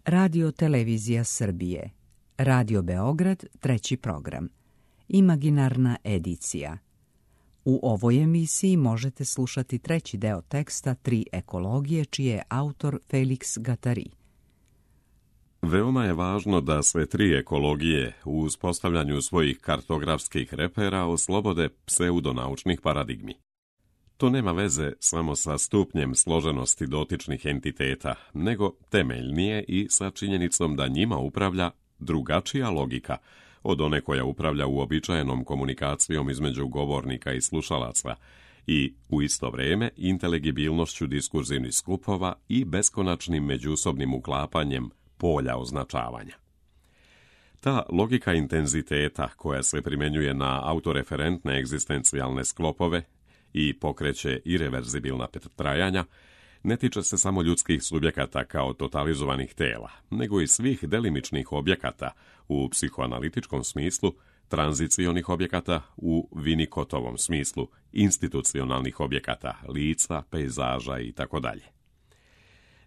Radio Televizija Srbije, Radio Beograd, 3. program, Imaginarna edicija. U ovoj emisiji možete slušati 3. deo teksta Tri ekologije, čiji je autor Felix Gattari. Veoma je važno da sve tri ekologije u uspostavljanju svojih kartografskih repera oslobode pseudonaučnih paradigmi. To nema veze samo sa stupnjem složenosti dotičnih entiteta, nego temeljnije i sa činjenicom da njima upravlja drugačija logika od one koja upravlja uobičajenom komunikacijom između govornika i slušalaca i u isto vrijeme inteligibilnošću diskurzivnih skupova i beskonačnim međusobnim uklapanjem polja označavanja. Ta logika intenziteta koja se primjenjuje na autoreferentne egzistencijalne sklopove i pokreće ireverzibilna trajanja, ne tiče se samo ljudskih subjekata kao totalizovanih tela, nego i svih delimičnih objekata u psihoanalitičkom smislu, tranzicionih objekata u Winnicottovom smislu, institucionalnih objekata, lica, pejzaža itd.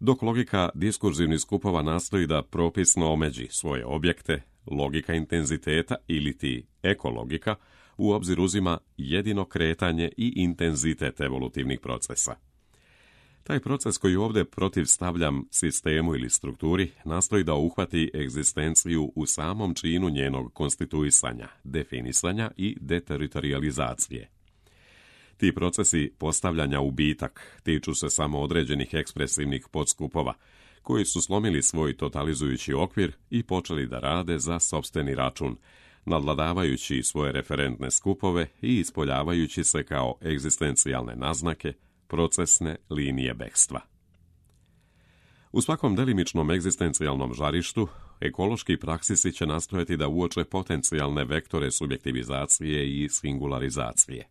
Dok logika diskurzivnih skupova nastoji da propisno omeđi svoje objekte, logika intenziteta ili ti ekologika u obzir uzima jedino kretanje i intenzitet evolutivnih procesa. Taj proces koji ovdje protivstavljam sistemu ili strukturi nastoji da uhvati egzistenciju u samom činu njenog konstituisanja, definisanja i deteritorializacije. Ti procesi postavljanja u bitak tiču se samo određenih ekspresivnih podskupova, koji su slomili svoj totalizujući okvir i počeli da rade za sopstveni račun, nadvladavajući svoje referentne skupove i ispoljavajući se kao egzistencijalne naznake, procesne linije bekstva. U svakom delimičnom egzistencijalnom žarištu, ekološki praksisi će nastojati da uoče potencijalne vektore subjektivizacije i singularizacije.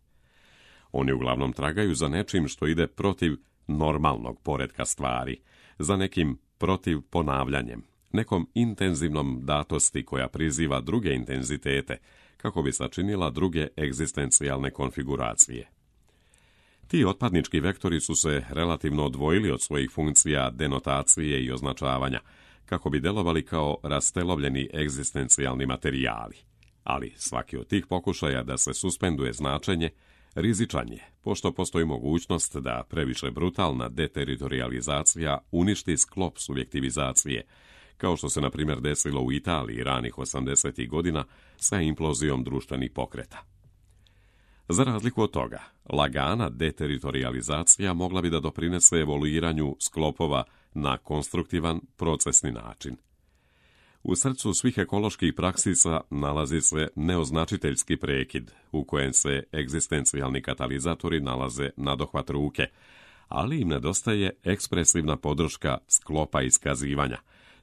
Oni uglavnom tragaju za nečim što ide protiv normalnog poretka stvari, za nekim protiv ponavljanjem, nekom intenzivnom datosti koja priziva druge intenzitete, kako bi sačinila druge egzistencijalne konfiguracije. Ti otpadnički vektori su se relativno odvojili od svojih funkcija denotacije i označavanja, kako bi delovali kao rastelovljeni egzistencijalni materijali. Ali svaki od tih pokušaja da se suspenduje značenje rizičan je, pošto postoji mogućnost da previše brutalna deteritorializacija uništi sklop subjektivizacije, kao što se na primjer desilo u Italiji ranih 80. godina sa implozijom društvenih pokreta. Za razliku od toga, lagana deteritorializacija mogla bi da doprinese evoluiranju sklopova na konstruktivan procesni način. U srcu svih ekoloških praksisa nalazi se neoznačiteljski prekid, u kojem se egzistencijalni katalizatori nalaze na dohvat ruke, ali im nedostaje ekspresivna podrška sklopa iskazivanja,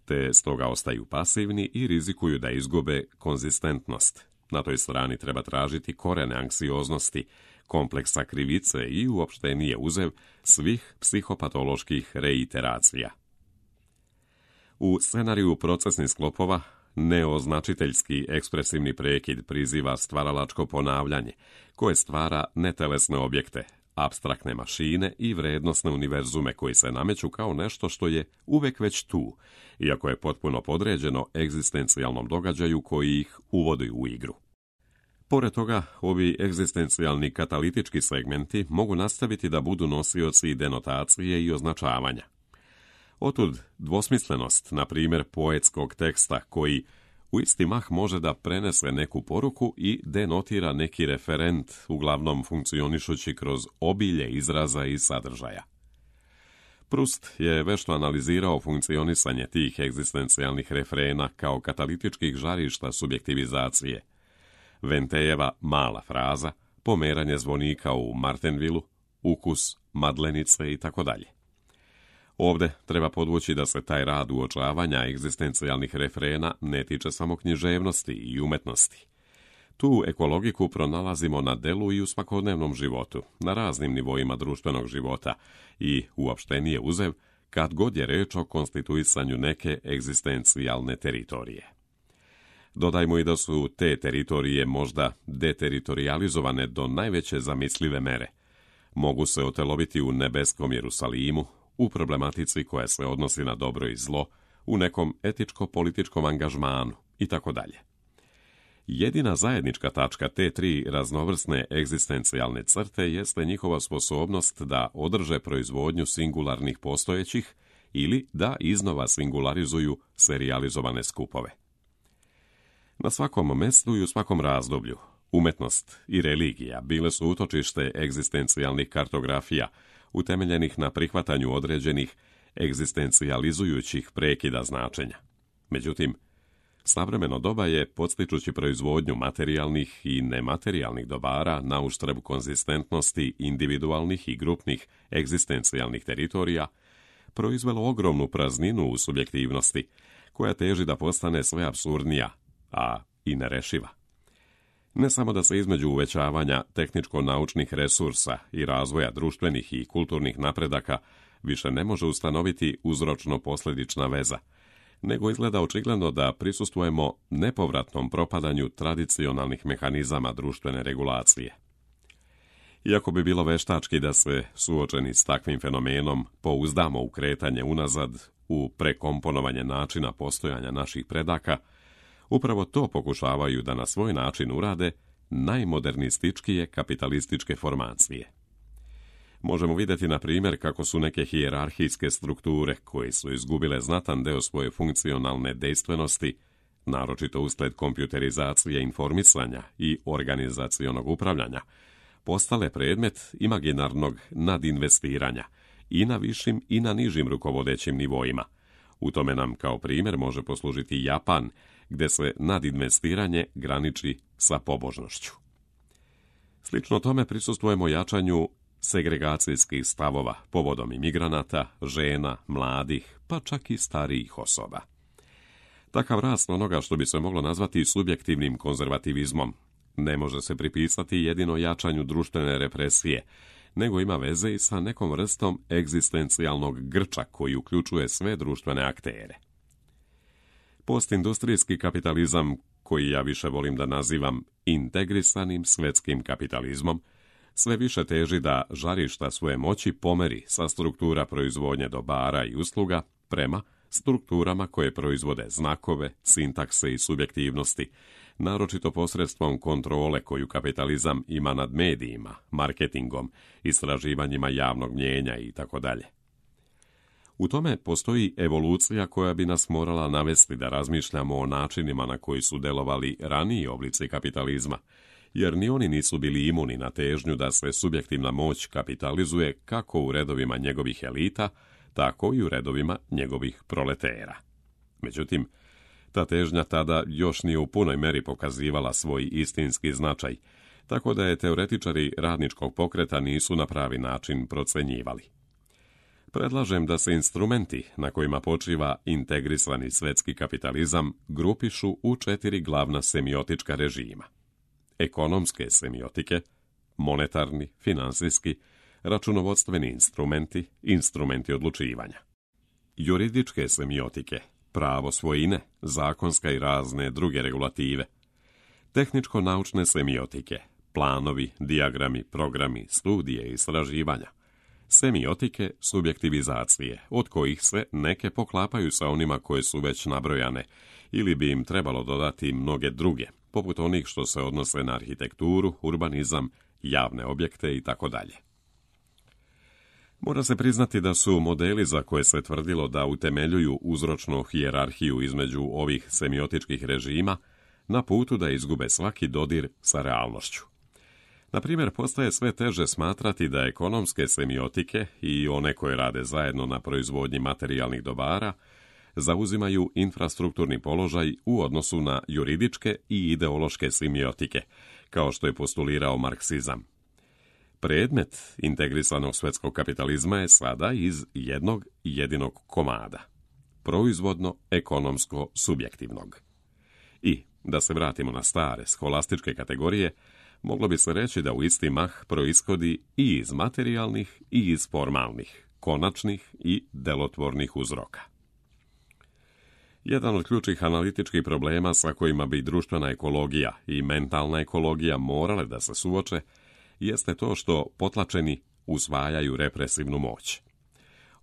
te stoga ostaju pasivni i rizikuju da izgube konzistentnost. Na toj strani treba tražiti korene anksioznosti, kompleksa krivice i uopštenije uzev svih psihopatoloških reiteracija. U scenariju procesnih sklopova, neoznačiteljski ekspresivni prekid priziva stvaralačko ponavljanje, koje stvara netelesne objekte, apstraktne mašine i vrednosne univerzume koji se nameću kao nešto što je uvek već tu, iako je potpuno podređeno egzistencijalnom događaju koji ih uvodi u igru. Pored toga, ovi egzistencijalni katalitički segmenti mogu nastaviti da budu nosioci denotacije i označavanja. Otud dvosmislenost, na primjer, poetskog teksta koji u isti mah može da prenese neku poruku i denotira neki referent, uglavnom funkcionišući kroz obilje izraza i sadržaja. Proust je vešto analizirao funkcionisanje tih egzistencijalnih refrena kao katalitičkih žarišta subjektivizacije. Ventejeva mala fraza, pomeranje zvonika u Martenvilu, ukus madlenice itd. Ovdje treba podvući da se taj rad uočavanja egzistencijalnih refrena ne tiče samo književnosti i umetnosti. Tu ekologiku pronalazimo na delu i u svakodnevnom životu, na raznim nivoima društvenog života i uopštenije uzev kad god je reč o konstituisanju neke egzistencijalne teritorije. Dodajmo i da su te teritorije možda deteritorializovane do najveće zamislive mere. Mogu se oteloviti u nebeskom Jerusalimu, u problematici koja se odnosi na dobro i zlo, u nekom etičko-političkom angažmanu itd. Jedina zajednička tačka te tri raznovrsne egzistencijalne crte jeste njihova sposobnost da održe proizvodnju singularnih postojećih ili da iznova singularizuju serijalizovane skupove. Na svakom mestu i u svakom razdoblju umetnost i religija bile su utočište egzistencijalnih kartografija utemeljenih na prihvatanju određenih egzistencijalizujućih prekida značenja. Međutim, savremeno doba je, podstičući proizvodnju materijalnih i nematerijalnih dobara na uštrb konzistentnosti individualnih i grupnih egzistencijalnih teritorija, proizvelo ogromnu prazninu u subjektivnosti, koja teži da postane sve apsurdnija, a i nerešiva. Ne samo da se između uvećavanja tehničko-naučnih resursa i razvoja društvenih i kulturnih napredaka više ne može ustanoviti uzročno-posljedična veza, nego izgleda očigledno da prisustvujemo nepovratnom propadanju tradicionalnih mehanizama društvene regulacije. Iako bi bilo veštački da se, suočeni s takvim fenomenom, pouzdamo u kretanje unazad, u prekomponovanje načina postojanja naših predaka, upravo to pokušavaju da na svoj način urade najmodernističkije kapitalističke formacije. Možemo vidjeti, na primjer, kako su neke hijerarhijske strukture, koje su izgubile znatan deo svoje funkcionalne dejstvenosti, naročito usled kompjuterizacije informisanja i organizacionog upravljanja, postale predmet imaginarnog nadinvestiranja i na višim i na nižim rukovodećim nivoima. U tome nam kao primjer može poslužiti Japan, gdje se nadinvestiranje graniči sa pobožnošću. Slično tome prisustvujemo jačanju segregacijskih stavova povodom imigranata, žena, mladih, pa čak i starijih osoba. Takav rast onoga što bi se moglo nazvati subjektivnim konzervativizmom ne može se pripisati jedino jačanju društvene represije, nego ima veze i sa nekom vrstom egzistencijalnog grča koji uključuje sve društvene aktere. Postindustrijski kapitalizam, koji ja više volim da nazivam integrisanim svjetskim kapitalizmom, sve više teži da žarišta svoje moći pomeri sa struktura proizvodnje dobara i usluga prema strukturama koje proizvode znakove, sintakse i subjektivnosti, naročito posredstvom kontrole koju kapitalizam ima nad medijima, marketingom, istraživanjima javnog mnijenja itd. U tome postoji evolucija koja bi nas morala navesti da razmišljamo o načinima na koji su delovali raniji oblici kapitalizma, jer ni oni nisu bili imuni na težnju da se subjektivna moć kapitalizuje kako u redovima njegovih elita, tako i u redovima njegovih proletera. Međutim, ta težnja tada još nije u punoj meri pokazivala svoj istinski značaj, tako da je teoretičari radničkog pokreta nisu na pravi način procenjivali. Predlažem da se instrumenti na kojima počiva integrisani svjetski kapitalizam grupišu u 4 glavna semiotička režima. Ekonomske semiotike, monetarni, finansijski, računovodstveni instrumenti, instrumenti odlučivanja. Juridičke semiotike, pravo svojine, zakonska i razne druge regulative. Tehničko-naučne semiotike, planovi, dijagrami, programi, studije i istraživanja. Semiotike subjektivizacije, od kojih se neke poklapaju sa onima koje su već nabrojane, ili bi im trebalo dodati mnoge druge, poput onih što se odnose na arhitekturu, urbanizam, javne objekte itd. Mora se priznati da su modeli za koje se tvrdilo da utemeljuju uzročnu hijerarhiju između ovih semiotičkih režima na putu da izgube svaki dodir sa realnošću. Na primjer, postaje sve teže smatrati da ekonomske semiotike i one koje rade zajedno na proizvodnji materijalnih dobara zauzimaju infrastrukturni položaj u odnosu na juridičke i ideološke semiotike, kao što je postulirao marksizam. Predmet integrisanog svjetskog kapitalizma je sada iz jednog jedinog komada, proizvodno-ekonomsko-subjektivnog. I, da se vratimo na stare scholastičke kategorije, moglo bi se reći da u isti mah proishodi i iz materijalnih i iz formalnih, konačnih i delotvornih uzroka. Jedan od ključnih analitičkih problema sa kojima bi društvena ekologija i mentalna ekologija morale da se suoče, jeste to što potlačeni usvajaju represivnu moć.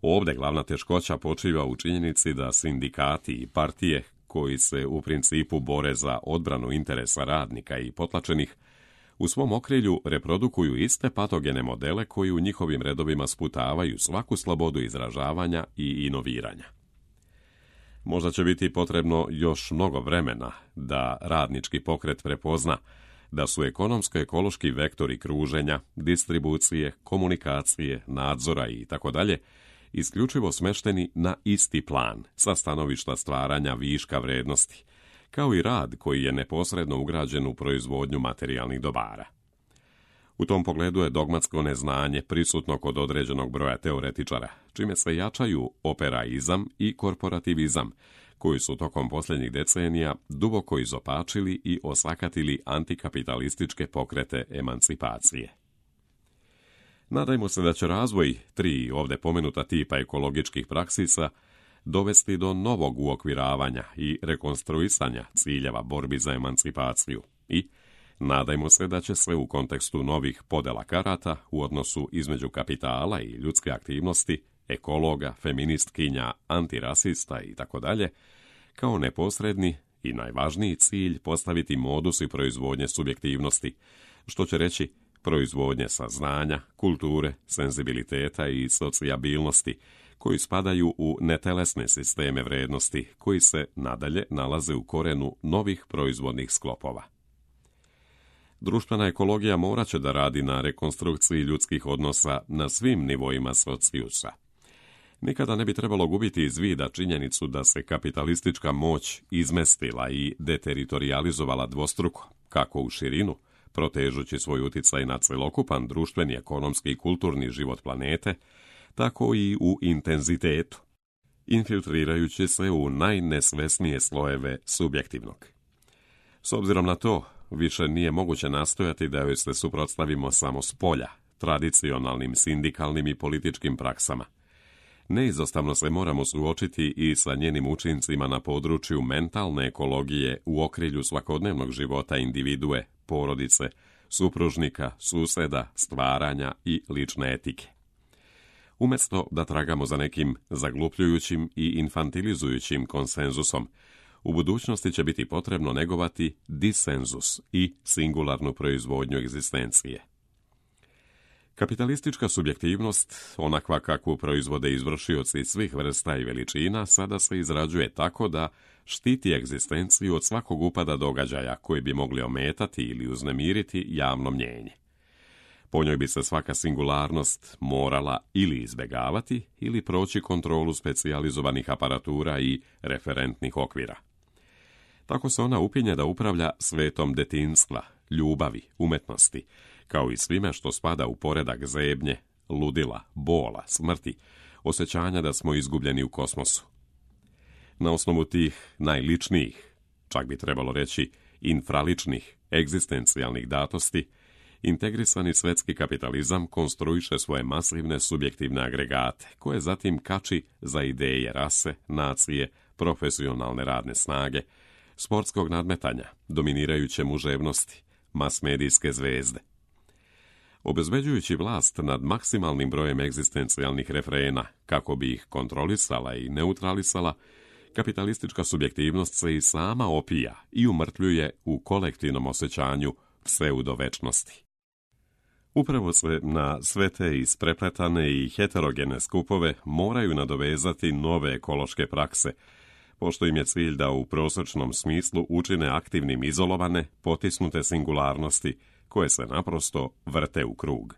Ovdje glavna teškoća počiva u činjenici da sindikati i partije, koji se u principu bore za odbranu interesa radnika i potlačenih, u svom okrilju reprodukuju iste patogene modele koji u njihovim redovima sputavaju svaku slobodu izražavanja i inoviranja. Možda će biti potrebno još mnogo vremena da radnički pokret prepozna da su ekonomsko-ekološki vektori kruženja, distribucije, komunikacije, nadzora i tako dalje isključivo smešteni na isti plan sa stanovišta stvaranja viška vrednosti, kao i rad koji je neposredno ugrađen u proizvodnju materijalnih dobara. U tom pogledu je dogmatsko neznanje prisutno kod određenog broja teoretičara, čime se jačaju operaizam i korporativizam, koji su tokom posljednjih decenija duboko izopačili i osakatili antikapitalističke pokrete emancipacije. Nadajmo se da će razvoj 3 ovdje pomenuta tipa ekologičkih praksisa dovesti do novog uokviravanja i rekonstruisanja ciljeva borbi za emancipaciju i nadajmo se da će se u kontekstu novih podela karata u odnosu između kapitala i ljudske aktivnosti, ekologa, feministkinja, antirasista itd., kao neposredni i najvažniji cilj postaviti modus i proizvodnje subjektivnosti, što će reći proizvodnje saznanja, kulture, senzibiliteta i socijabilnosti, koji spadaju u netelesne sisteme vrednosti, koji se nadalje nalaze u korenu novih proizvodnih sklopova. Društvena ekologija morat će da radi na rekonstrukciji ljudskih odnosa na svim nivoima socijusa. Nikada ne bi trebalo gubiti iz vida činjenicu da se kapitalistička moć izmestila i deteritorijalizovala dvostruko, kako u širinu, protežući svoj uticaj na celokupan društveni, ekonomski i kulturni život planete, tako i u intenzitetu, infiltrirajući se u najnesvesnije slojeve subjektivnog. S obzirom na to, više nije moguće nastojati da joj se suprotstavimo samo s polja, tradicionalnim sindikalnim i političkim praksama. Neizostavno se moramo suočiti i sa njenim učincima na području mentalne ekologije u okrilju svakodnevnog života individue, porodice, supružnika, suseda, stvaranja i lične etike. Umjesto da tragamo za nekim zaglupljujućim i infantilizujućim konsenzusom, u budućnosti će biti potrebno negovati disenzus i singularnu proizvodnju egzistencije. Kapitalistička subjektivnost, onakva kakvu proizvode izvršioci svih vrsta i veličina, sada se izrađuje tako da štiti egzistenciju od svakog upada događaja koji bi mogli ometati ili uznemiriti javno mnjenje. Po njoj bi se svaka singularnost morala ili izbjegavati ili proći kontrolu specijalizovanih aparatura i referentnih okvira. Tako se ona upinje da upravlja svetom detinjstva, ljubavi, umetnosti, kao i svime što spada u poredak zebnje, ludila, bola, smrti, osjećanja da smo izgubljeni u kosmosu. Na osnovu tih najličnijih, čak bi trebalo reći infraličnih, egzistencijalnih datosti, integrisani svetski kapitalizam konstruiše svoje masivne subjektivne agregate, koje zatim kači za ideje rase, nacije, profesionalne radne snage, sportskog nadmetanja, dominirajuće muževnosti, masmedijske zvezde. Obezbeđujući vlast nad maksimalnim brojem egzistencijalnih refrena, kako bi ih kontrolisala i neutralisala, kapitalistička subjektivnost se i sama opija i umrtvljuje u kolektivnom osjećanju pseudovečnosti. Upravo se na sve te isprepletane i heterogene skupove moraju nadovezati nove ekološke prakse, pošto im je cilj da u prosječnom smislu učine aktivnim izolovane, potisnute singularnosti, koje se naprosto vrte u krug.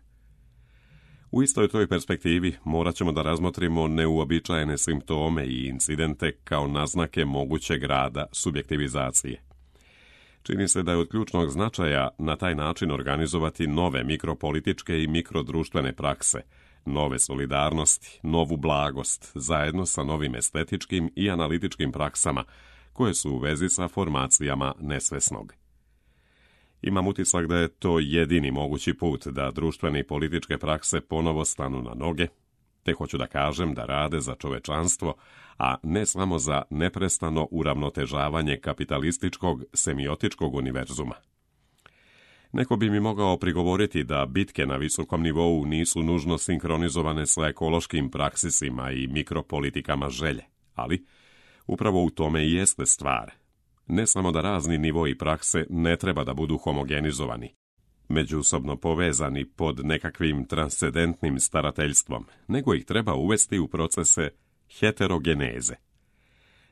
U istoj toj perspektivi morat ćemo da razmotrimo neuobičajene simptome i incidente kao naznake mogućeg rada subjektivizacije. Čini se da je od ključnog značaja na taj način organizovati nove mikropolitičke i mikrodruštvene prakse, nove solidarnosti, novu blagost, zajedno sa novim estetičkim i analitičkim praksama, koje su u vezi sa formacijama nesvesnog. Imam utisak da je to jedini mogući put da društvene i političke prakse ponovo stanu na noge, te hoću da kažem da rade za čovečanstvo, a ne samo za neprestano uravnotežavanje kapitalističkog semiotičkog univerzuma. Neko bi mi mogao prigovoriti da bitke na visokom nivou nisu nužno sinkronizovane sa ekološkim praksisima i mikropolitikama želje, ali upravo u tome i jeste stvar. Ne samo da razni nivoi prakse ne treba da budu homogenizovani, međusobno povezani pod nekakvim transcendentnim starateljstvom, nego ih treba uvesti u procese heterogeneze.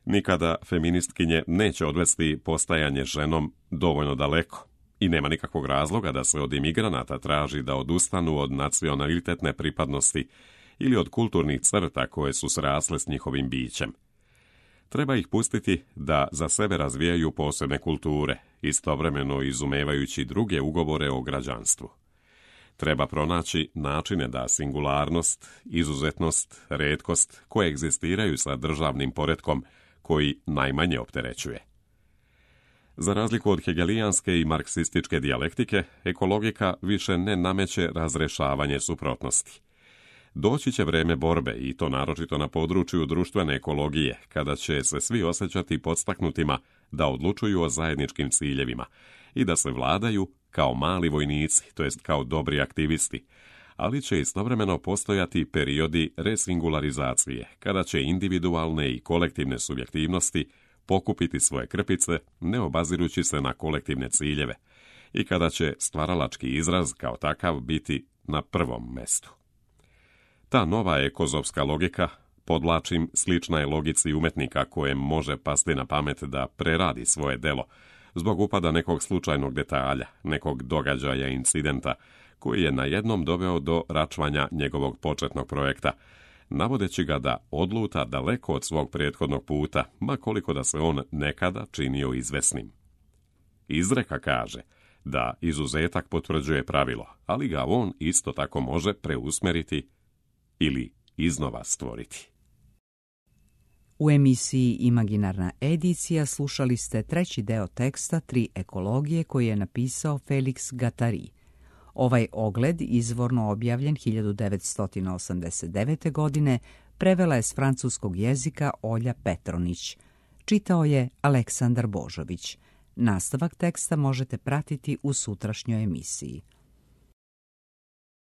Nikada feministkinje neće odvesti postajanje ženom dovoljno daleko i nema nikakvog razloga da se od imigranata traži da odustanu od nacionalitetne pripadnosti ili od kulturnih crta koje su srasle s njihovim bićem. Treba ih pustiti da za sebe razvijaju posebne kulture, istovremeno izumevajući druge ugovore o građanstvu. Treba pronaći načine da singularnost, izuzetnost, retkost koegzistiraju sa državnim poretkom koji najmanje opterećuje. Za razliku od hegelijanske i marksističke dijalektike, ekologika više ne nameće razrešavanje suprotnosti. Doći će vreme borbe, i to naročito na području društvene ekologije, kada će se svi osjećati podstaknutima da odlučuju o zajedničkim ciljevima i da se vladaju kao mali vojnici, to jest kao dobri aktivisti, ali će istovremeno postojati periodi resingularizacije, kada će individualne i kolektivne subjektivnosti pokupiti svoje krpice, ne obazirući se na kolektivne ciljeve, i kada će stvaralački izraz kao takav biti na prvom mestu. Ta nova ekozovska logika, podvlačim, slična je logici umetnika kojem može pasti na pamet da preradi svoje delo zbog upada nekog slučajnog detalja, nekog događaja, incidenta, koji je najednom doveo do račvanja njegovog početnog projekta, navodeći ga da odluta daleko od svog prethodnog puta, ma koliko da se on nekada činio izvesnim. Izreka kaže da izuzetak potvrđuje pravilo, ali ga on isto tako može preusmeriti ili iznova stvoriti. U emisiji Imaginarna edicija slušali ste treći deo teksta Tri ekologije koji je napisao Felix Guattari. Ovaj ogled, izvorno objavljen 1989. godine, prevela je s francuskog jezika Olja Petronić. Čitao je Aleksandar Božović. Nastavak teksta možete pratiti u sutrašnjoj emisiji.